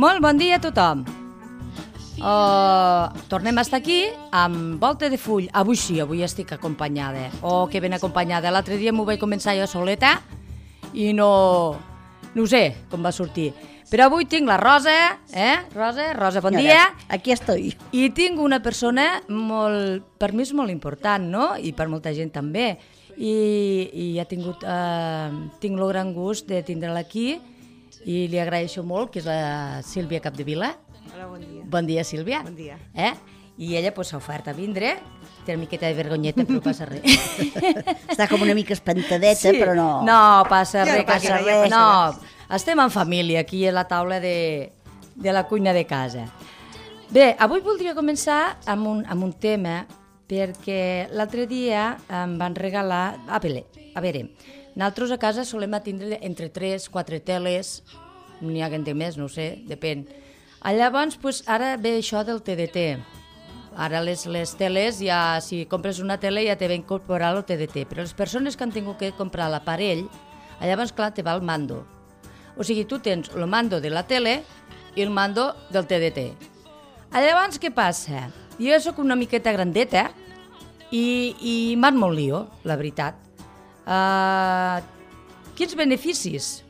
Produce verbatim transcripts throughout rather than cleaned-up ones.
Molt bon dia a tothom. Uh, tornem a estar aquí amb Volta de Full. Avui sí, avui estic acompanyada. Oh, que ben acompanyada. L'altre dia m'ho vaig començar jo soleta i no, no sé com va sortir. Però avui tinc la Rosa, eh? Rosa, Rosa, bon dia. Aquí estoy. I tinc una persona molt, per mi és molt important, no? I per molta gent també. I, i ha tingut, eh, tinc el gran gust de tindre-la aquí i li agraeixo molt, que és la Sílvia Capdevila. Hola, bon dia. Bon dia, Sílvia. Bon dia. Eh? I ella pues, s'ha ofert a vindre. Té una miqueta de vergonyeta, però no passa res. Està com una mica espantadeta, sí. Però no... No, passa Ja res, no passa passa res, res. ja No, passa estem en família, aquí a la taula de, de la cuina de casa. Bé, avui voldria començar amb un, amb un tema, perquè l'altre dia em van regalar... A veure, a veure, nosaltres a casa solem tindre entre tres, quatre teles, n'hi ha que en té més, no sé, depèn. Llavors, pues, ara ve això del T D T. Ara les, les teles, ja, si compres una tele ja te va incorporar el T D T, però les persones que han tingut que comprar l'aparell, llavors, clar, te va el mando. O sigui, tu tens el mando de la tele i el mando del T D T. Llavors, què passa? Jo sóc una miqueta grandeta i, i m'han molt lío, la veritat. Uh, quins beneficis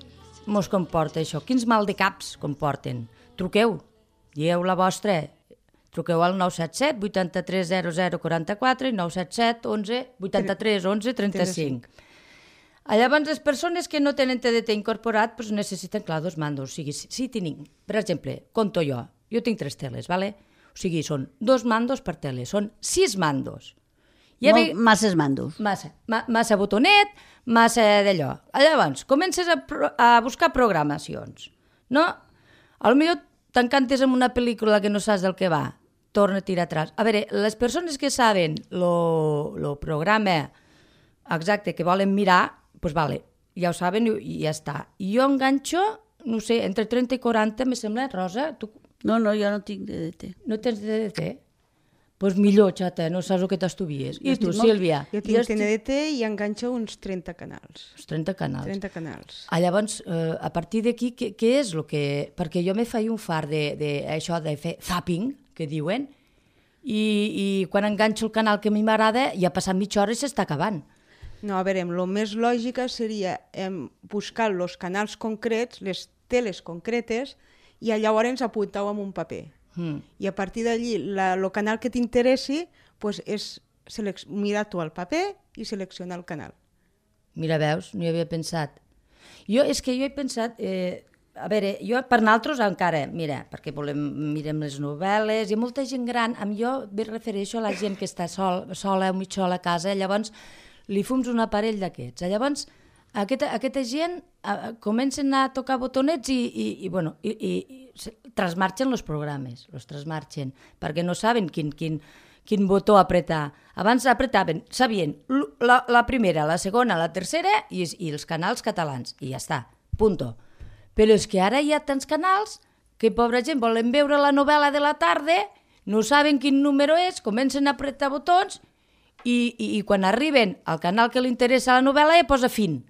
mos comporta això? Quins mal de caps comporten? Truqueu, dieu la vostra, truqueu al nou set set, vuitanta-tres, zero zero, quaranta-quatre i nou set set, onze, vuitanta-tres, onze, trenta-cinc. Llavors, les persones que no tenen T D T incorporat pues, necessiten, clar, dos mandos. O sigui, si, si tinc, per exemple, compto jo, jo tinc tres teles, ¿vale? O sigui, són dos mandos per tele, són sis mandos. Ja Molt, ve... Masses mandos. Massa, ma, massa botonet, massa d'allò. Llavors, comences a, pro, a buscar programacions, no? A lo millor t'encantes amb una pel·lícula que no saps del que va, torna a tirar atrás. A veure, les persones que saben el programa exacte que volen mirar, doncs pues vale, ja ho saben i ja està. I jo enganxo, no sé, entre trenta i quaranta, me sembla, Rosa? Tu... No, no, jo no tinc D D T. No tens D D T? Doncs pues millor, xata, no saps el que t'estuvies. I tu, Sílvia? Jo tinc T D T i enganxo uns trenta canals. Uns trenta canals. trenta canals. Ah, llavors, eh, a partir d'aquí, què, què és el que... Perquè jo me feia un far de, de això de fer zapping, que diuen, i, i quan enganxo el canal que a mi m'agrada, ja ha passat mitja hora i s'està acabant. No, a veure, el més lògic seria eh, buscar els canals concrets, les teles concretes, i llavors apuntar-ho en un paper. Mm. I a partir d'allí, el canal que t'interessi pues, és mirar tu el paper i seleccionar el canal. Mira, veus, no hi havia pensat. Jo, és que jo he pensat... Eh, a veure, jo per nosaltres encara, mira, perquè volem, mirem les novel·les, hi ha molta gent gran, amb jo me refereixo a la gent que està sol, sola o mig sola a casa, llavors li fums un aparell d'aquests. Llavors, aquesta, aquesta gent eh, comencen a tocar botonets i, i, i bueno, i, i, i trasmarxen els programes, els trasmarxen, perquè no saben quin, quin, quin botó apretar. Abans apretaven, sabien, la, la primera, la segona, la tercera i, i els canals catalans, i ja està, punto. Però és que ara hi ha tants canals que, pobra gent, volen veure la novel·la de la tarda, no saben quin número és, comencen a apretar botons i, i, i quan arriben al canal que li interessa la novel·la ja posa fin.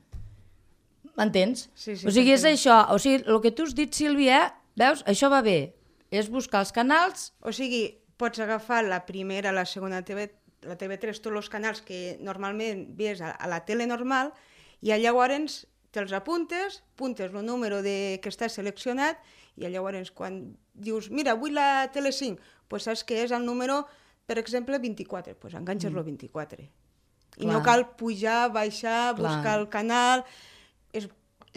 M'entens? Sí, sí, o sigui, és això. O sigui, el que tu has dit, Sílvia, veus, això va bé. És buscar els canals... O sigui, pots agafar la primera, la segona T V, la T V tres, tots els canals que normalment vies a, a la tele normal, i llavors te'ls apuntes, apuntes el número de, que està seleccionat, i llavors quan dius, mira, vull la tele cinc, pues saps que és el número, per exemple, vint-i-quatre, pues enganxes mm. el vint-i-quatre. I no cal pujar, baixar, Clar. buscar el canal... És,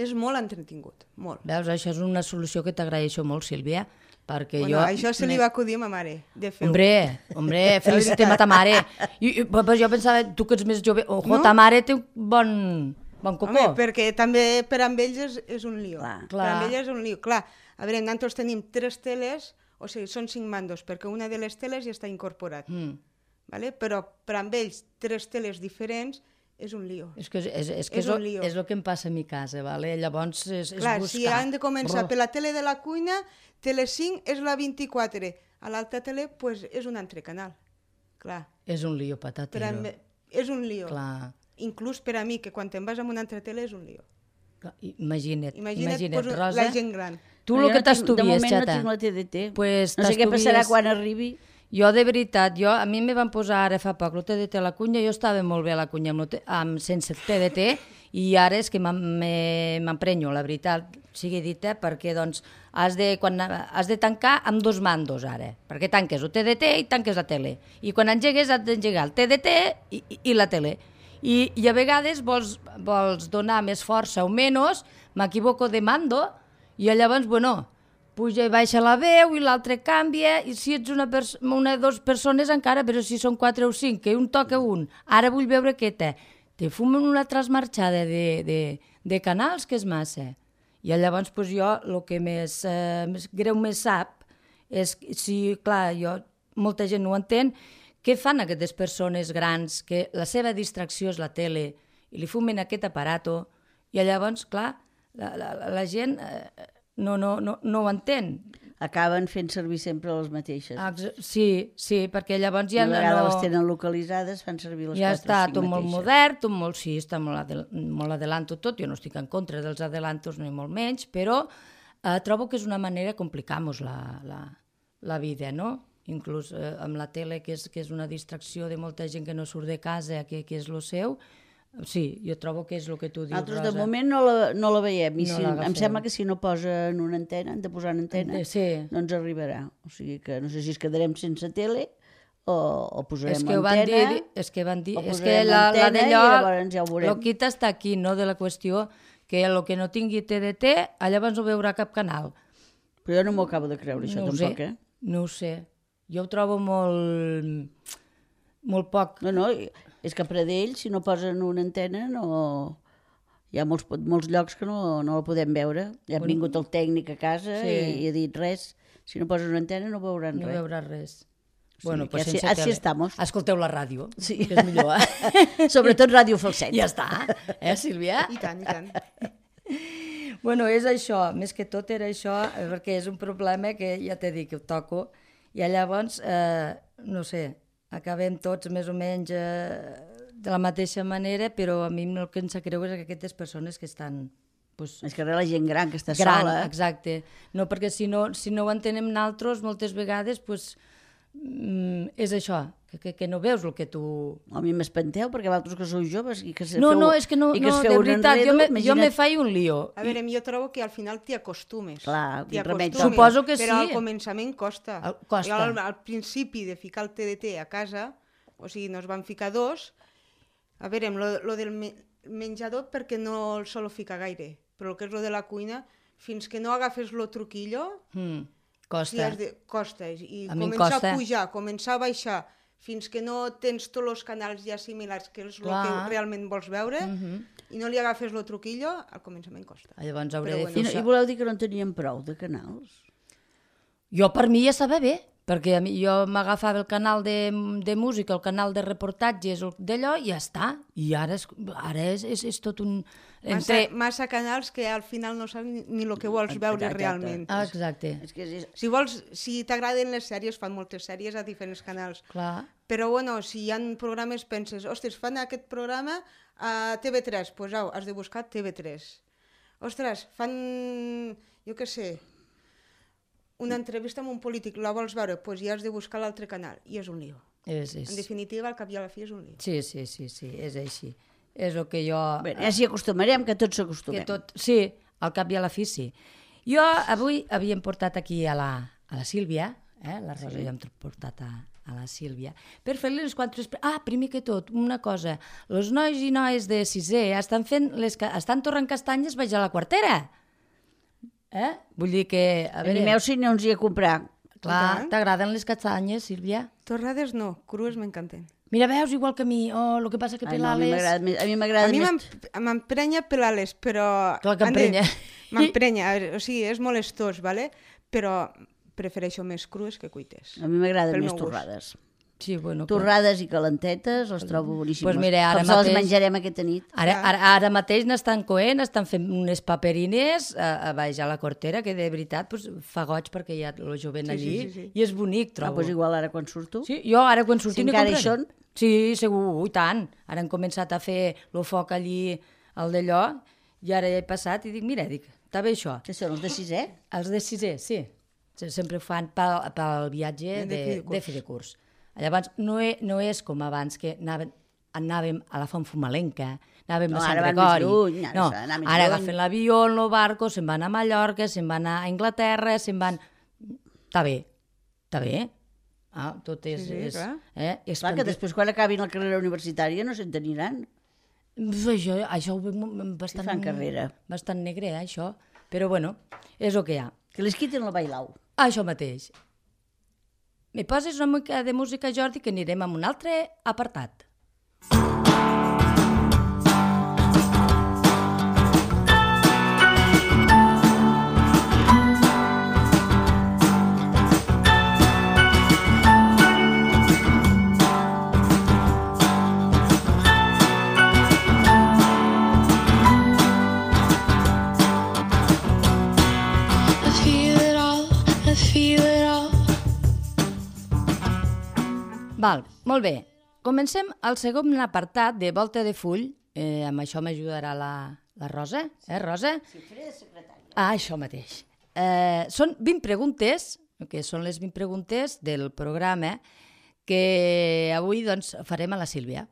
és molt entretingut, molt. Veus, això és una solució que t'agraeixo molt, Sílvia, perquè bueno, jo... Això se li va acudir a ma mare, de fer-ho. Hombre, hombre, felicitem a ta mare. I, i, però jo pensava, tu que ets més jove, ojo, no? Ta mare té un bon, bon cocó. Home, perquè també per amb ells és, és un lío. Clar. Per amb ells és un lío, clar. A veure, nosaltres tenim tres teles, o sigui, són cinc mandos, perquè una de les teles ja està incorporat. Mm. Vale? Però per amb ells, tres teles diferents, és un lío. És que és, és, és, que és, és, és el que em passa a mi casa, vale? Llavors és, és Clar, buscar... si han de començar oh. per la tele de la cuina, tele cinc és la vint-i-quatre, a l'altra tele pues, és un altre canal. Clar. És un lío patatero. Mi, és un lío. Clar. Inclús per a mi, que quan te'n vas amb una altra tele és un lío. Imagina't, imagina't, imagina't pues, Rosa, la gent gran. Tu el que t'estudies, xata. De moment xata. no tinc la T D T. Pues no sé què passarà t'estudies- quan arribi. Jo, de veritat, jo, a mi me van posar ara fa poc el T D T a la cunya, jo estava molt bé a la cunya amb, lo T- amb, sense T D T, i ara és que m'em- me- m'emprenyo, la veritat, sigui dita, perquè doncs, has de, quan, has de tancar amb dos mandos ara, perquè tanques el T D T i tanques la tele, i quan engegues has d'engegar el T D T i, i, i la tele, I, i a vegades vols, vols donar més força o menys, m'equivoco de mando, i llavors, bueno, puja i baixa la veu i l'altre canvia, i si ets una, una o dues persones encara, però si són quatre o cinc, que un toca un, ara vull veure què té. Te fumen una trasmarxada de, de, de canals que és massa. I llavors pues, jo el que més, eh, més greu més sap és, si, clar, jo, molta gent no ho entén, què fan aquestes persones grans que la seva distracció és la tele i li fumen aquest aparato i llavors, clar, la, la, la gent... Eh, No, no, no, no ho entén. Acaben fent servir sempre les mateixes. Sí, sí, perquè llavors ja Una no... vegada les tenen localitzades, fan servir les ja quatre està o cinc tot molt mateixes. modern, tot molt, sí, està molt, adel molt adelanto tot, jo no estic en contra dels adelantos ni molt menys, però eh, trobo que és una manera de complicar-nos la, la, la vida, no? Inclús eh, amb la tele, que és, que és una distracció de molta gent que no surt de casa, que, que és lo seu. Sí, jo trobo que és el que tu dius, Nosaltres Rosa. de moment no la, no la veiem, i No si, l'agafem. em sembla que si no posen una antena, han de posar una antena, Sí. no ens arribarà. O sigui que no sé si es quedarem sense tele o, o posarem És que ho van antena. dir, és que van dir, o és que posarem la, la antena i d'allò, llavors ja ho veurem. el quita està aquí, no?, de la qüestió, que el que no tingui T D T, llavors no veurà cap canal. Però jo no m'ho acabo de creure, això, no ho tampoc, sé, eh? no ho sé. Jo ho trobo molt, molt poc. No, no, és que a Pradell, si no posen una antena, no... Hi ha molts, molts llocs que no, no la podem veure. Ja ha Bueno, vingut el tècnic a casa sí. i, i ha dit res. Si no poses una antena no veuran No res. veurà res. Sí, Bueno, que pues así- sense así tele. estamos. Escolteu la ràdio, Sí. que és millor, eh? Sobretot Ràdio Falset. Ja està, eh, Sílvia? I tant, i tant. Bueno, és això, més que tot era això, eh, perquè és un problema que ja t'he dit que ho toco, i llavors, eh, no sé, acabem tots més o menys eh, de la mateixa manera, però a mi el que em sap greu és que aquestes persones que estan... Pues, És que la gent gran que està gran, sola... exacte. No, perquè si no, si no ho entenem nosaltres, moltes vegades, pues, mm, és això, que, que, que no veus el que tu... A mi m'espanteu, perquè vosaltres que sou joves i que se No, feu, no, és que no, i que no es de feu un veritat, enredo, jo me, jo imagina't- me faig un lío. A veure, jo trobo que al final t'hi acostumes. Clar, T'hi quin remei acostumes, Suposo que però sí. al començament costa. Al- costa. Jo al, al principi de ficar el T D T a casa, o sigui, nos van ficar dos, a veure, lo, lo del me menjador perquè no el solo ficar gaire, però el que és lo de la cuina, fins que no agafes lo truquillo, Mm, sí, costa. has de, costa. I A mi em començar costa. a pujar, començar a baixar, fins que no tens tots els canals ja similars, que és el Clar. que realment vols veure, Mhm. i no li agafes lo truquillo, al començament costa. Llavors hauré Però de bueno. fer I, no, això. I voleu dir que no en teníem prou de canals? Jo per mi ja estava bé, perquè a mi, jo m'agafava el canal de, de música, el canal de reportatges, el- d'allò, i ja està. I ara és, ara és, és, és tot un... Massa, Entre... massa canals que al final no saps ni, ni el que vols veure Exacte. realment. Ah, exacte, És que és, Si vols, si t'agraden les sèries, fan moltes sèries a diferents canals. clar. Però bueno, si hi ha programes, penses, ostres, fan aquest programa a T V tres, doncs au, has de buscar T V tres. Ostres, fan, jo què sé, una entrevista amb un polític, la vols veure, doncs ja has de buscar l'altre canal, i és un lío. És, és... En definitiva, al cap i a la fi és un lío. Sí, sí, sí, sí, és així. És el que jo... bé, ja s'hi acostumarem, que tots que s'acostumem. tot... Sí, al cap i a la fi sí. Jo avui havíem portat aquí a la, a la Sílvia, eh? La Rosa sí. ja hem portat a, a la Sílvia, per fer-li les quantes... Ah, primer que tot, una cosa. Els nois i noies de sisè estan fent les, ca- estan torrant castanyes baix a la quartera. Eh? Vull dir que... A veure, Animeu si no ens hi a comprar. clar, I tant. t'agraden les castanyes, Sílvia? Torrades no, crues m'encanten. Mira, veus, igual que a mi. Oh, el que passa que Ai, no, a mi pelar-les... m'agrada més- a mi A m'agrada mi més... m'em- m'emprenya pelar-les, però... Clar que han de- emprenya. M'emprenya, a veure, o sigui, és molestós, vale? Però prefereixo més crues que cuites. A mi m'agraden Pel més meu gust. torrades. Sí, bueno, clar. Torrades i calentetes les trobo boníssimes. Pues mira, ara Com se les mateix- menjarem aquesta nit. Ara, ara, ara mateix n'estan coent, estan fent unes paperines a, a baix a la cortera, que de veritat pues, fa goig perquè hi ha el jovent Sí, allí, sí, sí, sí. i és bonic, Ah, trobo. doncs igual ara quan surto. Sí, jo ara quan surti Si n'hi encara hi compraré. són? Sí, segur, i tant. Ara han començat a fer el foc allí, al d'allò, i ara he passat i dic, mira, dic, Està bé això? Que són els de sisè? Els de sisè, sí. Sí, sempre ho fan pel, pel viatge De de, fi de curs. de fi de curs. Llavors, no, e, no és com abans, que anàvem, anàvem a la Font Fumalenca, anàvem No, a Sant ara van més Gregori. lluny, ara no, s'ha d'anar més ara lluny. agafen l'avió, el barco, se'n van a Mallorca, se'n van a Anglaterra, se'n van... Està bé, està bé. Ah, tot és... Sí, sí, és, clar. eh, Clar, que expandir- després quan acabin la carrera universitària no se'n teniran. Això, això ho veig bastant, fan carrera. bastant negre, eh, això. Però bueno, és el que hi ha. Que les quiten la bailau. Això mateix. Me poses una mica de música, Jordi, que anirem a un altre apartat. I feel it all, I feel it all. Val, molt bé. Comencem el segon apartat de Volta de Full. Eh, amb això m'ajudarà la, la Rosa. Eh, Rosa? Sí, faré de secretària. Ah, això mateix. Eh, són vint preguntes, que són les vint preguntes del programa, que avui doncs, farem a la Sílvia.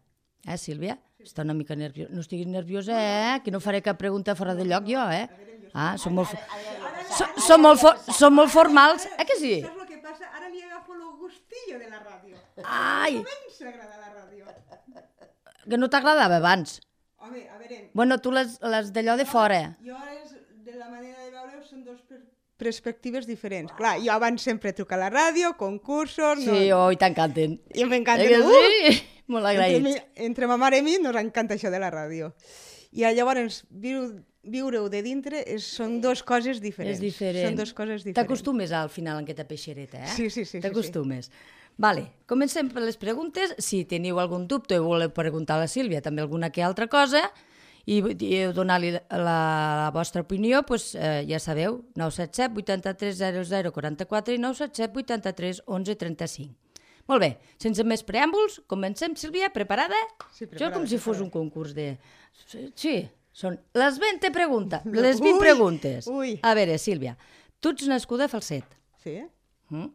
Eh, Sílvia? Està una mica nerviosa. No estiguis nerviosa, eh? Que no faré cap pregunta fora de lloc, jo, eh? Ah, som molt, som, som molt, for, som molt formals. Eh que sí? Saps el que passa? Ara li agafo el gustillo de la ràdio. Ai, Comença a agradar la ràdio. que no t'agradava abans. Home, a veure, Bueno, tu les, les d'allò de fora. jo ara és, de la manera de veure són dos per perspectives diferents. Clar, jo abans sempre truco a la ràdio, concursos... Sí, no... oi, t'encanten. I m'encanta. Eh que Uh! sí? Molt Entre, agraïts. mi, entre ma mare i mi nos encanta això de la ràdio. I llavors, viu, viure-ho de dintre és, són dues coses diferents. És diferent. Són dues coses diferents. T'acostumes al final en aquesta peixereta, eh? Sí, sí, sí, sí, T'acostumes. Vale, comencem per les preguntes. Si teniu algun dubte o voleu preguntar a la Sílvia també alguna que altra cosa i, i donar-li la, la vostra opinió, doncs, eh, ja sabeu, nou set set vuitanta-tres zero zero quaranta-quatre i nou set set vuitanta-tres onze trenta-cinc. Molt bé, sense més preàmbuls, comencem, Sílvia, preparada? Sí, Això preparada, com si fos preparada. un concurs de... Sí, són les vint preguntes, les vint Ui, preguntes. ui. A veure, Sílvia, tu ets nascuda a Falset. Sí, Mm?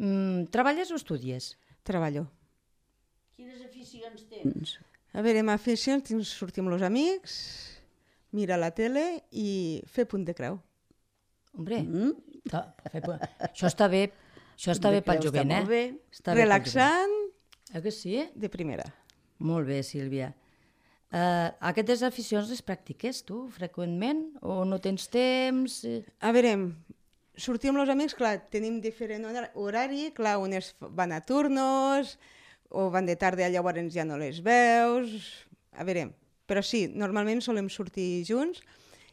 Mm, treballes o estudies? treballo. Quines aficions tens? A veure, amb aficions tinc sortir amb els amics, mirar la tele i fer punt de creu. Hombre, Mm? està, fer pu- això està bé, això està bé pel Està jovent, eh? molt bé. Està bé pel Relaxant jovent. Eh que sí? de primera. Molt bé, Sílvia. Uh, aquestes aficions les practiques tu freqüentment o no tens temps? Eh, A veure, sortir amb els amics, clar, tenim diferent hora- horari, clar, unes van a turnos, o van de tarda, llavors ja no les veus... A veure, però sí, normalment solem sortir junts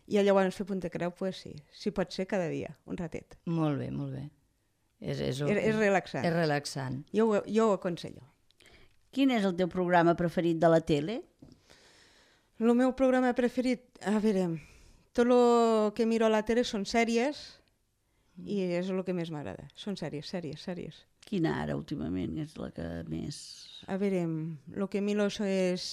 i llavors fer punt de creu, pues sí, sí pot ser cada dia, un ratet. Molt bé, molt bé. És, és, És, és relaxant. és relaxant. Jo, ho- jo ho aconsello. Quin és el teu programa preferit de la tele? El meu programa preferit, a veure, tot el que miro a la tele són sèries i és el que més m'agrada. Són sèries, sèries, sèries. Quina ara, últimament, és la que més... A veure, el que miro és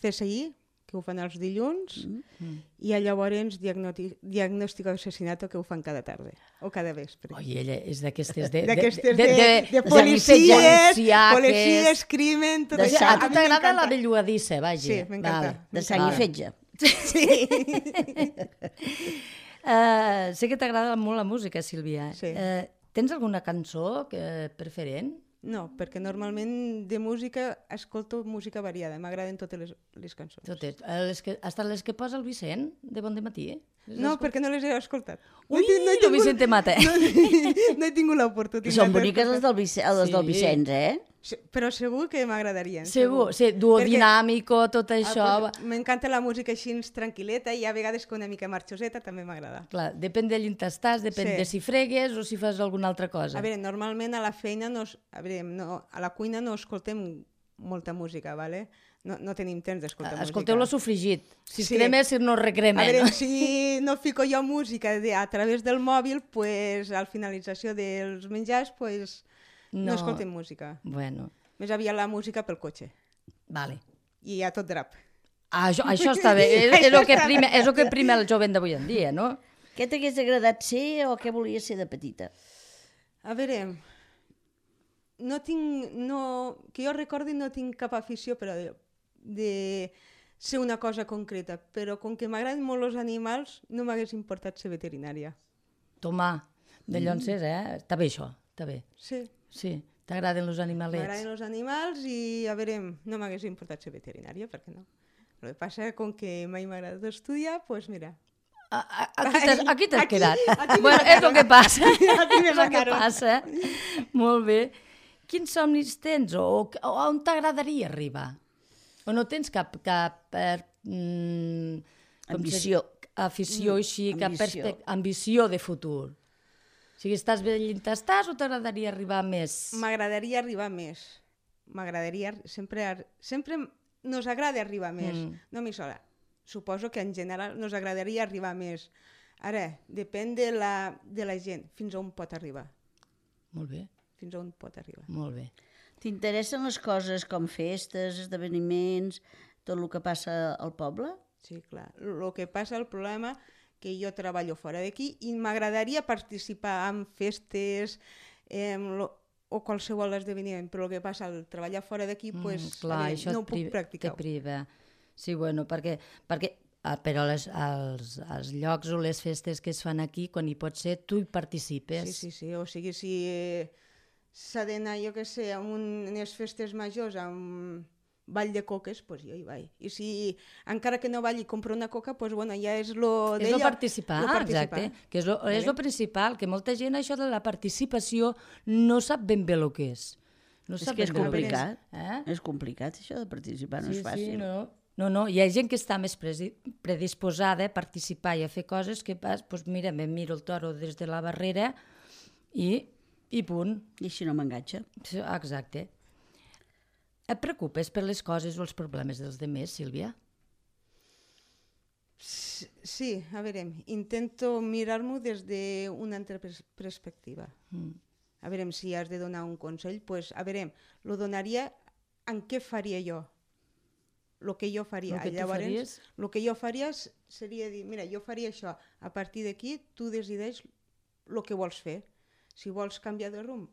C S I, que ho fan els dilluns, Mm. i llavors diagnoti- diagnòstic d'assassinat, que ho fan cada tarda o cada vespre. Oi, ella és d'aquestes de, de, D'aquestes de, de, de, de policies, policíaques. policies, crimen, tot De això. sang. A tu mi t'agrada la m'encanta. bellugadissa, vaja. Sí, m'encanta. De sang i fetge. Sí. Uh, sé que t'agrada molt la música, Sílvia. Sí. Uh, tens alguna cançó que, preferent? No, perquè normalment de música escolto música variada, m'agraden totes les, les cançons. Totes. Eh, Les que, hasta les que posa el Vicent, de Bon de Matí? Eh? Les No, escol- perquè no les he escoltat. Ui, he tin- he el Vicent te mata. No, no he tingut l'oportunitat. Són boniques les del, Vice... les del Sí. Vicenç, eh? Sí, però segur que m'agradarien. Segur, sí, duodinàmico, tot això. Ah, pues, m'encanta la música així tranquil·leta i a vegades que una mica marxoseta també m'agrada. Clar, depèn de l'on estàs, depèn Sí. de si fregues o si fas alguna altra cosa. A veure, normalment a la feina, no, es- a, veure, no, a la cuina no escoltem molta música, ¿vale? No, no tenim temps d'escoltar música. Escolteu-lo sofregit. Si es Sí. crema, si no A recrema. veure, no? si no fico jo música de, a través del mòbil, pues, al finalització dels menjars pues, no. No. no escoltem música. Bueno, Més aviat la música pel cotxe. vale. I a tot drap. Ah, això, això està bé, és, és, el que prima, és el que prima el jovent d'avui en dia, no? Què t'hagués agradat ser o què volies ser de petita? A veure, no tinc, no, que jo recordi no tinc cap afició per a de, de ser una cosa concreta, però com que m'agraden molt els animals, no m'hagués importat ser veterinària. Tomà, de llonses, eh? Està bé això, està bé. Sí, Sí, t'agraden els animalets. m'agraden els animals i, a veure, no m'hagués importat ser veterinària, per què no? El que passa, com que mai m'ha agradat estudiar, doncs pues mira... A, a, aquí t'has, aquí t'has Aquí- quedat. aquí Bueno, me és el que passa. Aquí me És el que mataron. passa. Molt bé. Quins somnis tens o, o on t'agradaria arribar? O no tens cap, cap eh, mm, com Ambició. se- afició així, cap ambició. perspec- ambició de futur? O sigui, estàs bé on estàs o t'agradaria arribar més? M'agradaria arribar més. M'agradaria... Sempre, ar- sempre nos agrada arribar més, Mm. no a mi sola. Suposo que en general nos agradaria arribar més. Ara, depèn de la, de la gent, fins on pot arribar. Molt bé, Fins on pot arribar. molt bé. T'interessen les coses com festes, esdeveniments, tot el que passa al poble? Sí, clar. El que passa, el problema, que jo treballo fora d'aquí i m'agradaria participar en festes eh, lo, o qualsevol esdeveniment, però el que passa, al treballar fora d'aquí, Mm, pues, clar, a veure, això no et ho puc priva- practicar. te priva. Sí, bueno, perquè, perquè ah, però les, els, els llocs o les festes que es fan aquí, quan hi pot ser, tu hi participes. Sí, sí, sí. O sigui, si eh, s'ha d'anar, jo què sé, a unes festes majors, a un ball de coques, doncs pues jo hi vaig. I si encara que no balli i compro una coca, doncs pues, bueno, ja és lo És d'ella. el participar, lo participar. exacte, que és lo, és lo principal, que molta gent això de la participació no sap ben bé el que és. No És sap que és ben bé lo complicat. Eh? És complicat, això de participar, no Sí, és fàcil. sí, no, no, no, hi ha gent que està més presi- predisposada a participar i a fer coses que pas, doncs mira, me miro el toro des de la barrera i, i punt. I així no m'enganxa. Sí, exacte. Et preocupes per les coses o els problemes dels demés, Sílvia? Sí, a veure, intento mirar-m'ho des d'una altra pers perspectiva. Mm. A veure, si has de donar un consell, pues, a veure, lo donaria en què faria jo. Lo que jo faria. Lo que tu Llavors, faries? lo que jo faria s- seria dir, mira, jo faria això. A partir d'aquí, tu decideix el que vols fer. Si vols canviar de rumb,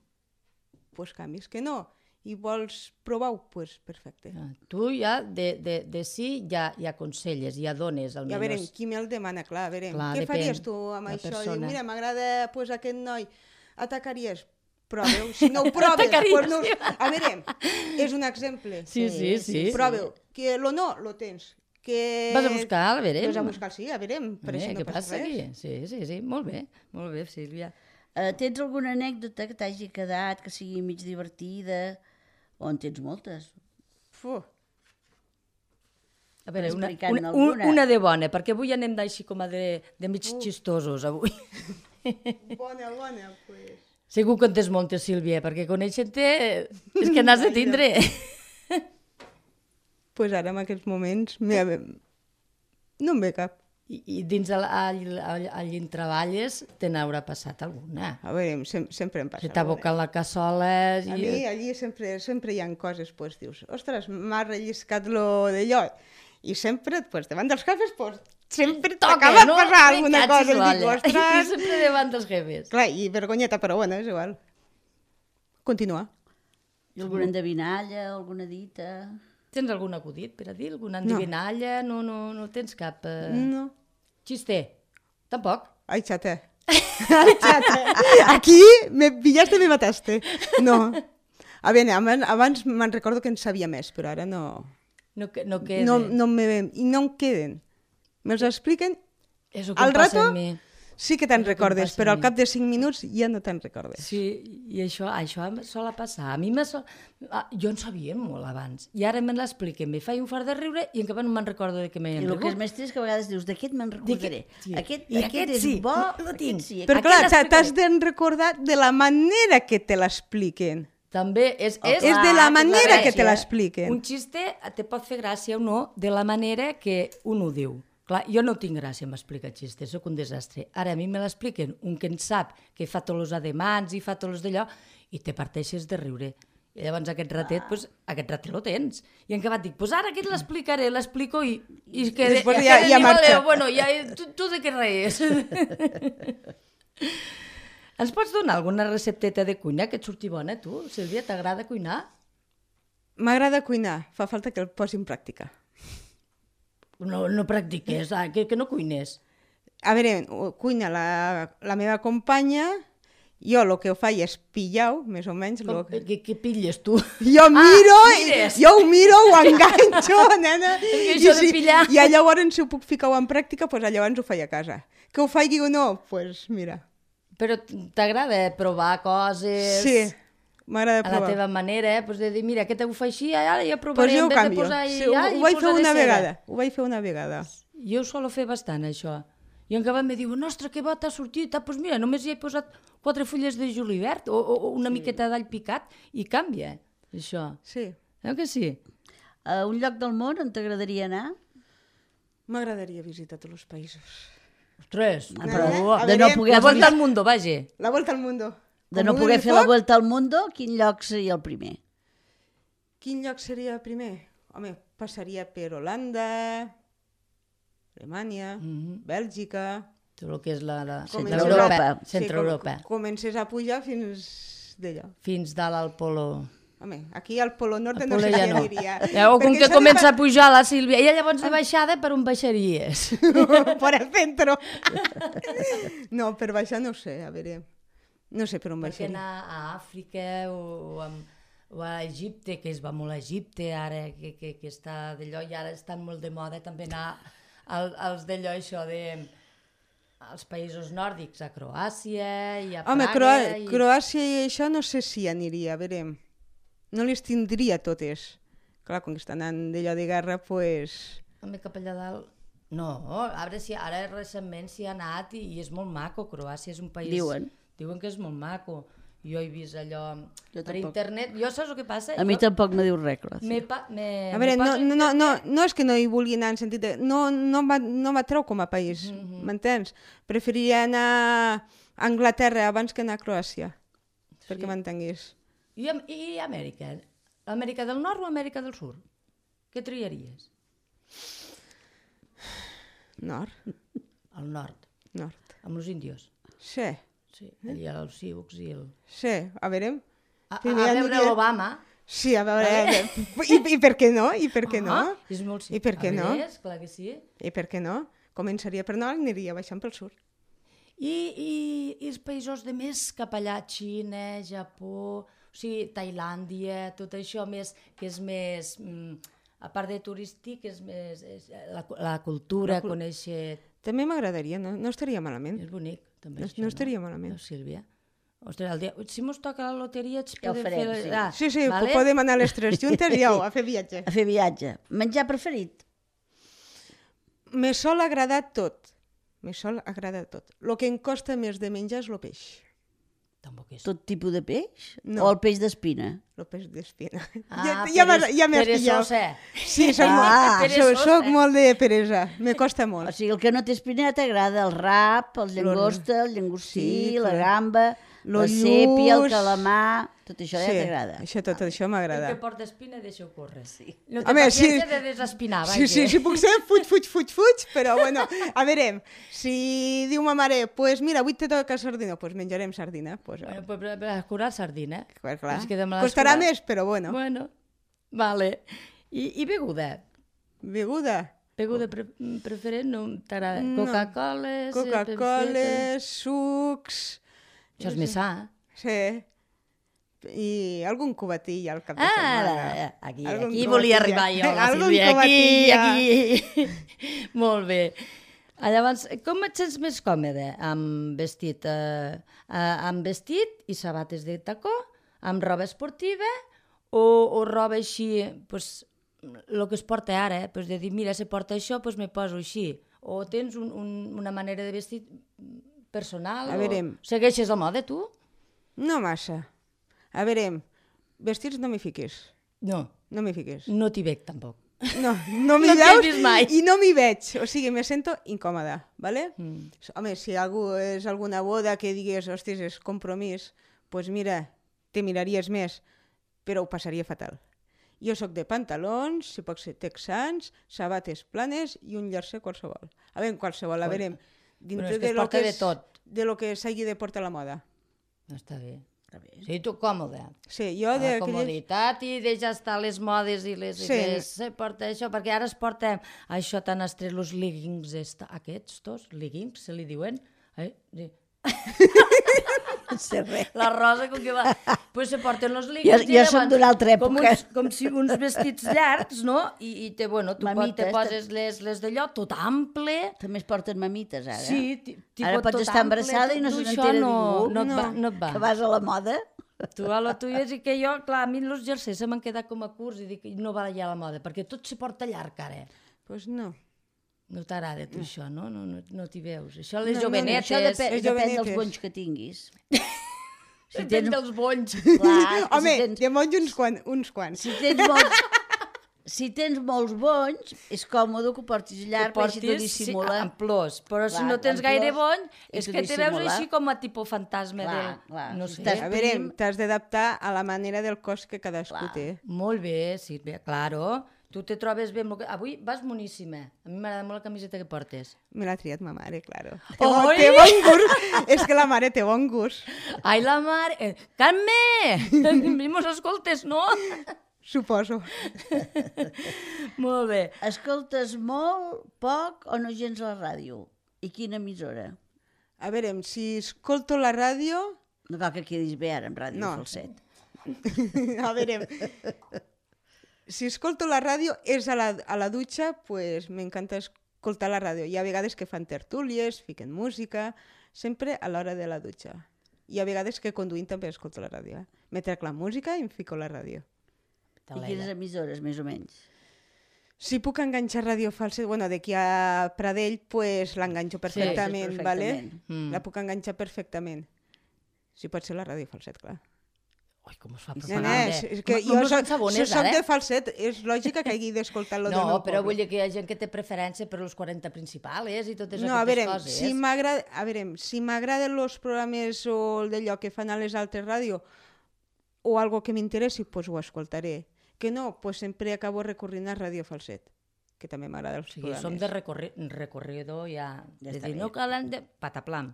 doncs pues canvis. Que no, i vols provar-ho, doncs pues perfecte. Ah, tu ja de, de, de sí ja, ja aconselles, ja dones I a almenys. veure, qui me'l demana, clar, a veure, Clar, què depèn faries tu amb la això? persona. Diu, mira, m'agrada pues, aquest noi, atacaries? Proveu, si no ho proves, Atacaries, pues no... sí. A veure, és un exemple. Sí, sí, sí. Proveu, que lo no, lo tens. Que... Vas a buscar, a veure. Vas a buscar, sí, a veure, per Eh, això no què passa passa res. aquí? Sí, sí, sí, molt bé, molt bé, Sílvia. Uh, tens alguna anècdota que t'hagi quedat, que sigui mig divertida? O en tens moltes? Fu, A veure, una, Explicant una, alguna. una de bona, perquè avui anem d'així com a de, de mig xistosos, avui. bona, bona, pues... Segur que en tens moltes, Sílvia, perquè conèixer-te és que n'has de tindre. Pues ara, en aquests moments, me... no em ve cap. I, i dins el, all, all, allí on treballes te n'haurà passat alguna. A veure, sem sempre em passa. Se t'ha alguna. abocat la cassola A i... mi allí sempre, sempre hi ha coses, pues, dius, ostres, m'ha relliscat lo d'allò. I sempre, pues, davant dels cafes, pues, sempre t'acaba no? passar Me alguna catxis cosa. I dic, l'olla. I ostres... sempre davant dels jefes. Clar, i vergonyeta, però bueno, és igual. Continua. I alguna endevinalla, alguna dita? Tens algun acudit per a dir? Alguna endivinalla? No, no, no tens cap... Eh... No. Xiste? Tampoc? Ai, xata. Ai, xata. Aquí me pillaste, me mataste. No. A veure, abans, abans me'n recordo que en sabia més, però ara no... No, que- no queda. No, no me ven, i no em queden. Me'ls expliquen, És el que al em passa rato a mi. sí que te'n És el que em recordes, passa a però al mi. cap de cinc minuts ja no te'n recordes. Sí, i això, això em sol passar. A mi me sol... ah, jo en sabia molt abans. I ara me l'expliquen, me faig un fart de riure i encara no me'n recordo de què m'he I el que és enrigut. més trist que a vegades dius, d'aquest me'n recordaré. sí. Aquest, I aquest, aquest és sí, bo, lo tinc. aquest sí. Però Aquí clar, l'explicaré. t'has de recordar de la manera que te l'expliquen. També és... Oh, és, És de clar, la que manera és la que te gràcia. l'expliquen. un xiste te pot fer gràcia o no de la manera que un ho diu. Clar, jo no tinc gràcia en explicar xistes, sóc un desastre. Ara a mi me l'expliquen un que en sap, que fa tots els ademans i fa tots els d'allò, i te parteixes de riure. I llavors aquest ratet, pues, aquest ratet lo tens. I en acabat dic, pues ara aquest l'explicaré, l'explico i... I, que, I després i ja- aquest ja diu, marxa. "Vale, bueno, ja, tu, tu de què reies? Ens pots donar alguna recepteta de cuina que et surti bona, tu? Sílvia, t'agrada cuinar? M'agrada cuinar, fa falta que el posi en pràctica. No, no practiques, ah, que, que no cuines. A veure, cuina la, la meva companya, jo el que ho faig és pillar-ho, més o menys. Com, Lo que... què, què pilles, tu? Jo miro, Ah, i- mires. jo ho miro, ho enganxo, nena. que això de pillar- I llavors, si ho puc ficar en pràctica, pues, llavors ho faig a casa. Que ho faig o no, doncs pues, mira. Però t'agrada provar coses... Sí, m'agrada A la provar. teva manera, eh? Pues de dir, mira, aquest ho fa així, ara ja Pues provaré, jo en ho vez de canvio. posar... Sí, ho, ai, ho vaig fer posaré una cera. vegada. Ho vaig fer una vegada. Jo ho solo fer bastant, això. I en acabat me diu, ostres, que bo t'ha sortit. Ah, doncs mira, només hi he posat quatre fulles de julivert o, o, o una sí. miqueta d'all picat i canvia, això. Sí, Eh que sí? A un lloc del món on t'agradaria anar? m'agradaria visitar tots els països. Ostres, Ah, però... però a de no veure, poder, La volta al mundo, vaja. La volta al mundo. de Com no un poder fer la foc, vuelta al mundo, quin lloc seria el primer? Quin lloc seria el primer? Home, passaria per Holanda, Alemanya, Mhm. Bèlgica... Tot el que és la, la Comences Centre-Europa. a- Centre-Europa. Sí, com, comences a pujar fins d'allò. Fins dalt al polo... Home, aquí al Polo Norte Al no polo sé ja què no. diria. Ja, o com Perquè que això de comença pa- a pujar la Sílvia. I llavors de baixada per on baixaries? por el centro. No, per baixar no sé, a veure. No sé per on Perquè baixaria. anar a Àfrica o, o, amb, o a Egipte, que es va molt a Egipte ara, que, que, que està d'allò, i ara estan molt de moda també anar al, als d'allò, això de als països nòrdics, a Croàcia i a Home, Praga. Croà i... Croàcia i això no sé si aniria, a veure. No les tindria totes. Clar, com que estan anant d'allò de guerra, doncs... Pues... Home, cap allà dalt... No, a veure si ara recentment s'hi ha anat i, i és molt maco. Croàcia és un país... Diuen. Diuen que és molt maco. Jo he vist allò Jo per tampoc. internet. Jo saps el que passa? A mi jo... tampoc me diu res, clar. Me pa... me... A veure, me no, poso no, no, no, internet- no és que no hi vulgui anar en sentit de... No, no m'ha no m'atreu com a país, m'entens? Preferiria anar a Anglaterra abans que anar a Croàcia, perquè m'entenguis. I, am- I Amèrica? Amèrica del Nord o Amèrica del Sud? Què triaries? Nord, Al nord, nord. amb els índios. Sí, Sí, allà els Sioux i el... sí, a veure... A, a, Primer a veure aniria- l'Obama. Sí, a veure... I, I per què no? I per què no? Ah, és molt I per què a no? veure, clar que sí. I per què no? Començaria per nord i aniria baixant pel sud. I, i, i els països de més cap allà, Xina, Japó, o sigui, Tailàndia, tot això més, que és més, mm, a part de turístic, és més és la, la cultura, La cul- conèixer... També m'agradaria, no, no estaria malament. És bonic, també. No- això, no estaria malament. No, Sílvia? Ostres, el dia... si mos toca la loteria, ets Ja ho podem farem, fer... sí. Ah, Sí, sí, vale? podem anar les tres juntes i au, a fer viatge. A fer viatge. Menjar preferit? Me sol agradar tot. Me sol agradar tot. El que em costa més de menjar és el peix. Tampoc és... Tot tipus de peix? No. O el peix d'espina? El peix d'espina. Ah, ja ja m'has peres- ja m'has pillat. perezosa. Sí, soc, Ah, molt, perezosa. soc, soc molt de peresa. Me costa O molt. sigui, el que no té espina t'agrada, el rap, el llangosta, el llangostí, Sí, la clar. gamba, Lo la sèpia, el lluç. calamar... Tot això ja Sí, t'agrada. això, tot això El m'agrada. que porta espina, deixa-ho córrer. Sí. No té Home, sí. paciència de desespinar, vaja. Sí, sí, si puc ser, fuig, fuig, fuig, fuig, però bueno, a veure, si diu ma mare, pues mira, avui te toca sardina, pues menjarem sardina. Pues, Bueno, pues per, per escurar sardina. clar, clar. Ens quedem a l'escurar. Costarà més, però bueno. Bueno, vale. I, i beguda? Beguda, Beguda pre preferent no t'agrada? No. Coca-Cola? Coca-Cola, sucs... Això és més sa. Sí. I algun cubatí al cap de Ah, setmana. aquí, Algun aquí cubatilla. volia arribar jo, la Algun Sílvia, aquí, cubatilla. aquí. Molt bé. Ah, Llavors, com et sents més còmode? Amb vestit, eh, eh, amb vestit i sabates de tacó? Amb roba esportiva? O, o roba així, pues, el que es porta ara, eh? Pues de dir, mira, se porta això, pues me poso així. O tens un, un, una manera de vestir personal? A veure. O segueixes la moda, tu? No massa. A veure, vestits no m'hi fiquis. No, No m'hi fiquis. no t'hi veig tampoc. No, no m'hi No t'hi he veus vist mai. i no m'hi veig. O sigui, me sento incòmoda, ¿vale? Mm. Home, si algú és alguna boda que digués, hostis, és compromís, doncs pues mira, te miraries més. però ho passaria fatal. Jo sóc de pantalons, si pot ser texans, sabates planes i un jersei qualsevol. A veure, qualsevol, a veure, dintre Bueno, és que es de lo porta que de és, tot. de lo que s'hagi de portar la moda. No està bé. Està bé. Sí, tu còmode. Sí, jo La de comoditat i deixa estar les modes i les... Sí. I les se porta això, perquè ara es porta això tan estrès, els leggings esta, aquests, tots, leggings, se li diuen? Eh? Sí. No sé res. La Rosa, com que va... Pues se porten els Jo, leggings jo soc d'una altra com, època. uns, com si uns vestits llargs, no? I, i te, bueno, tu pot, te Mamites, poses les, les d'allò tot ample. També es porten mamites, ara. Sí, ti- tipo Ara pots tot estar ample, embarassada i no tu se això n'entera no, ningú. No, et va, no et va. Que vas a la moda. Tu a lo tuyo, és que jo, clar, a mi els jerseis se m'han quedat com a curts i dic, no va ja a la moda, perquè tot se porta llarg ara. Pues no. No t'agrada tu això, no? No, no, no t'hi veus. Això les No, no, no, jovenetes... Això depèn, les depèn jovenetes. dels bonys que tinguis. Si tens dels bonys. Clar, Home, si tens, de monys uns, quan, uns quants. si tens molts... Si tens molts bonys, és còmode que ho portis llarg, perquè així t'ho dissimula. Sí, en plors, però si Clar, no tens en gaire plors, bony, i és t'ho que te veus dissimula. així com a tipus fantasma Clar, del... clar, No si sé. estàs A veure, prim. t'has d'adaptar a la manera del cos que cadascú Clar. té. Molt bé, Sílvia, claro. Tu te trobes bé amb lo que... Avui vas moníssima. A mi m'agrada molt la camiseta que portes. Me l'ha triat ma mare, claro. Té, Oi! bon, té bon gust. És que la mare té bon gust. Ai, la mare... Eh, Carme! Mos escoltes, no? Suposo. Molt bé. Escoltes molt, poc o no gens la ràdio? I quina emissora? A veure, si escolto la ràdio... No cal que quedis bé ara amb Ràdio No. Falset. A veure, si escolto la ràdio és a la, a la dutxa, pues m'encanta escoltar la ràdio. Hi ha vegades que fan tertúlies, fiquen música, sempre a l'hora de la dutxa. Hi ha vegades que conduint també escolto la ràdio. Eh? Me trec la música i em fico la ràdio. I quines emissores, més o menys? Si puc enganxar ràdio falset, bueno, d'aquí a Pradell, pues l'enganxo perfectament, sí, ¿vale? perfectament. Mm. La puc enganxar perfectament. Si pot ser la ràdio falset, clar. Ui, com es fa No, propaganda. no, és, és que No, jo no soc, són sabones, si soc ara, de eh? falset, és lògica que hagi d'escoltar-lo del No, meu però poble. vull dir que hi ha gent que té preferència per els quaranta principals i totes No, a aquestes veure, coses. si m'agrada, a veure, si m'agraden els programes o el d'allò que fan a les altres ràdio o algo que m'interessi, doncs ho escoltaré. Que no, doncs sempre acabo recorrint a Ràdio Falset, que també m'agrada els O sigui, programes. som de recorri recorrido ja. Ja de està dir, bé. no calen de... Pataplam.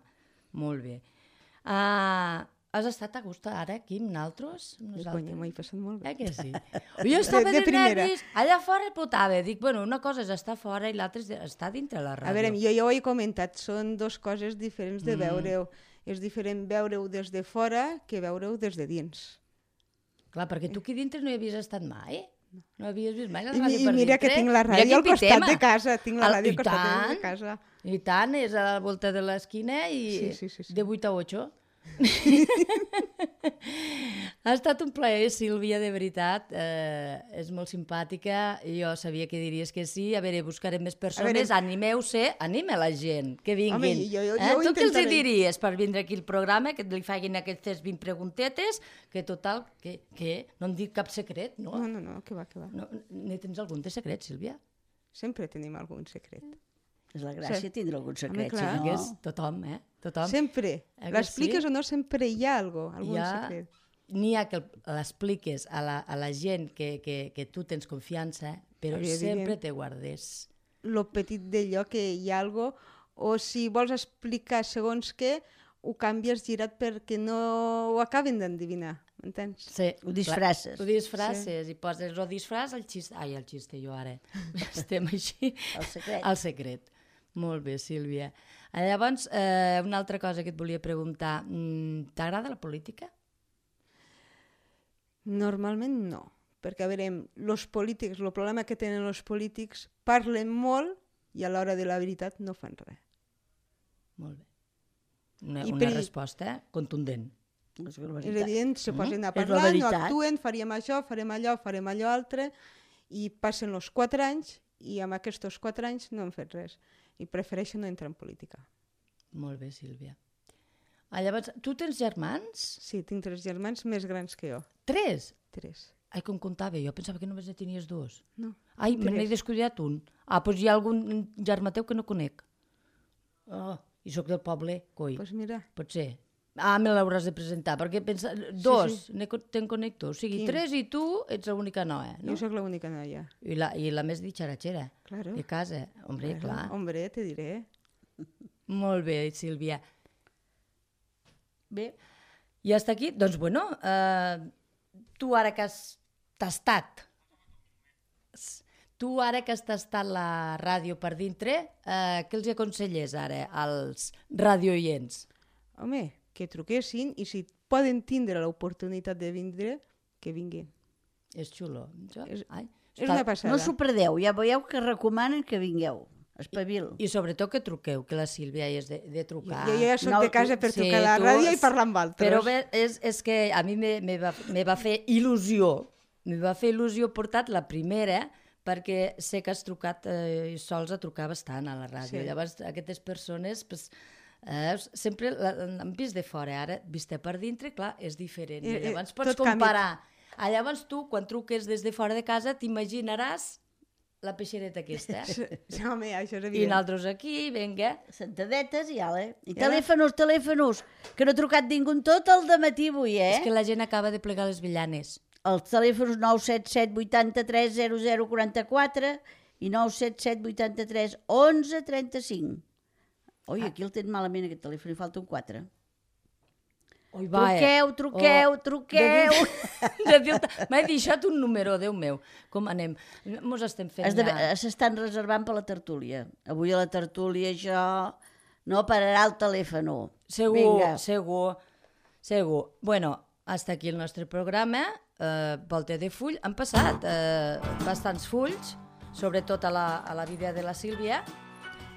Molt bé. Uh, has estat a gust ara aquí amb naltros? Conya, m'ho he passat molt bé. Eh que sí? Jo estava De- de, de primera. nervis, allà fora potava. Dic, bueno, una cosa és estar fora i l'altra és de- estar dintre la ràdio. A veure, jo ja ho he comentat, són dues coses diferents de Mm. veure-ho. És diferent veure-ho des de fora que veure-ho des de dins. Clar, perquè tu aquí dintre no hi havies estat mai. No havies vist mai la I, ràdio i per mira dintre. que tinc la Mira ràdio quin al costat pitema. de casa, tinc la Al- ràdio i al costat tant, de casa. I tant, és a la volta de l'esquina i Sí, sí, sí, sí. de vuit a ocho. Ha estat un plaer, Sílvia, de veritat. Eh, és molt simpàtica. Jo sabia que diries que sí. A veure, buscarem més persones. veure- Animeu-se, anime la gent, que vinguin. Home, jo- jo- eh? jo ho Tu què els hi intentaré. diries per vindre aquí al programa, que li facin aquestes vint preguntetes, que total, que, que no em dic cap secret, no? No, no, no, que va, que va. no ne tens algun de secret, Sílvia? Sempre tenim algun secret. És la gràcia Sí. tindre algun secret, clar. si Que no... és tothom, eh? Tothom. Sempre. Eh que L'expliques sí? o no, sempre hi ha algo, algun Hi ha- secret. N'hi ha que l'expliques a, la, a la gent que, que, que tu tens confiança, però Evident. sempre te guardes. Lo petit d'allò que hi ha algo, o si vols explicar segons què, ho canvies girat perquè no ho acaben d'endevinar, m'entens? Sí, Ho disfresses. Clar, ho disfresses sí. I poses el disfraç al xiste. Ai, el xiste jo ara. Estem així. El secret. El secret. Molt bé, Sílvia. Llavors, eh, una altra cosa que et volia preguntar. Mm, T'agrada la política? Normalment no, perquè a veure, els polítics, el problema que tenen els polítics, parlen molt i a l'hora de la veritat no fan res. Molt bé. Una, I una per- resposta contundent. És la És veritat. evident, se posen a És la parlar, no veritat. actuen, faríem això, farem allò, farem allò altre, i passen els quatre anys i amb aquests quatre anys no han fet res. I prefereixen no entrar en política. Molt bé, Sílvia. Ah, llavors, tu tens germans? Sí, tinc tres germans més grans que jo. Tres? Tres. Ai, com comptava, jo pensava que només ne tenies dos. No. Ai, me n'he tres. descuidat un. Ah, doncs hi ha algun germà teu que no conec. Oh, i sóc del poble, coi. Doncs pues mira, Pot ser. Ah, me l'hauràs de presentar, perquè pensa... Dos, sí. ne co- te'n connecto. O sigui, Quin? tres i tu ets l'única noia, no? Jo sóc l'única noia. I la, I la més ditxaratxera. Claro. De casa. Hombre, Claro, clar. Hombre, te diré. Molt bé, Sílvia. Bé, I hasta aquí, doncs, bueno, eh, tu ara que has tastat, tu ara que has tastat la ràdio per dintre, eh, què els aconselles ara als radioients? Home, que truquessin i si poden tindre l'oportunitat de vindre, que vinguin. És xulo. Això? És- Ai, És està- una passada. no s'ho perdeu, ja veieu que recomanen que vingueu. Espavil. I sobretot que truqueu, que la Sílvia és de, de trucar. Jo ja soc No, de casa per Sí, trucar a la tu- ràdio i parlar amb altres. Però bé, és, és que a mi me, me, va, me va fer il·lusió, me va fer il·lusió portar la primera, perquè sé que has trucat, eh, sols a trucar bastant a la ràdio. Sí. Llavors, aquestes persones, pues, eh, sempre l'han vist de fora, ara, vista per dintre, clar, és diferent. I Eh, eh, llavors pots tot canvia. comparar. Ah, llavors tu, quan truques des de fora de casa, t'imaginaràs la peixereta aquesta. Sí, sí, home, això és I evident. nosaltres aquí, vinga. Sentadetes i ala. I Ja. telèfonos, telèfonos, que no ha trucat ningú en tot el dematí avui, eh? És que la gent acaba de plegar les villanes. Els telèfons nou set set vuitanta-tres zero zero quaranta-quatre i nou set set vuitanta-tres onze trenta-cinc. Oi, aquí el tens malament, aquest telèfon, hi falta un quatre. Oi, va, Truqueu, truqueu, Oh, truqueu. De dir, m'he deixat un número, Déu meu. Com anem? Mos estem fent Has de- ja... S'estan reservant per la tertúlia. Avui a la tertúlia això no pararà el telèfon. Segur, Vinga. segur, segur. Bueno, hasta aquí el nostre programa. Eh, Volta de full. Han passat eh, bastants fulls, sobretot a la, a la vida de la Sílvia.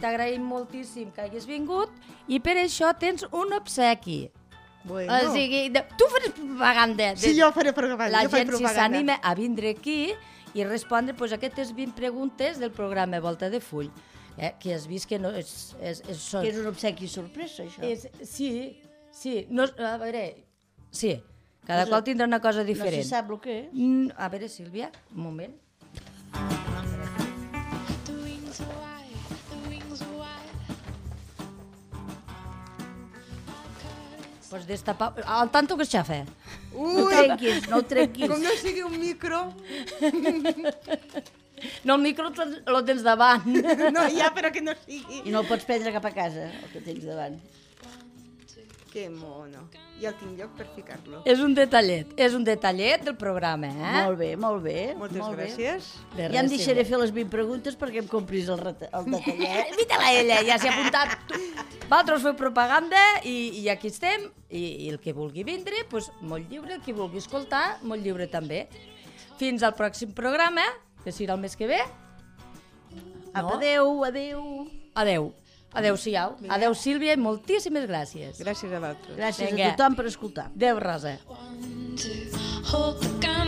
T'agraïm moltíssim que hagis vingut i per això tens un obsequi. Bueno. O sigui, de, tu faràs propaganda. De, Sí, jo faré propaganda. La jo faig gent, si propaganda. s'anima a vindre aquí i respondre pues, aquestes vint preguntes del programa Volta de Full, eh, que has vist que no és... és, és, són, Que és un obsequi sorpresa, això. és sí, sí. No, a veure, sí, cada qual tindrà una cosa No diferent. se sap el que és. Mm, a veure, Sílvia, un moment. The wings are wide, the wings are wide. Pues destapar... Al tanto que xafa. No ho Ui, trenquis, no ho trenquis. com no sigui un micro... No, el micro te'l- lo tens davant. No, ja, però que no sigui. I no el pots prendre cap a casa, el que tens davant. Que mono. Ja el tinc lloc per ficar-lo. És un detallet, és un detallet del programa, eh? Molt bé, molt bé. Moltes molt bé. gràcies. De Ja em res, deixaré Sílvia. fer les vint preguntes perquè em compris el, reta- el detallet. Invita-la a ella, ja s'hi ha apuntat. Tu. Vosaltres feu propaganda i, i aquí estem. I, I el que vulgui vindre, pues, molt lliure. El que vulgui escoltar, molt lliure també. Fins al pròxim programa, que serà el mes que ve. Apa, adeu, adeu. Adeu. Adeu-siau. Adeu, Sílvia, i moltíssimes gràcies. Gràcies a vosaltres. Gràcies Vinga. a tothom per escoltar. Adeu, Rosa. One, two, hold the gun.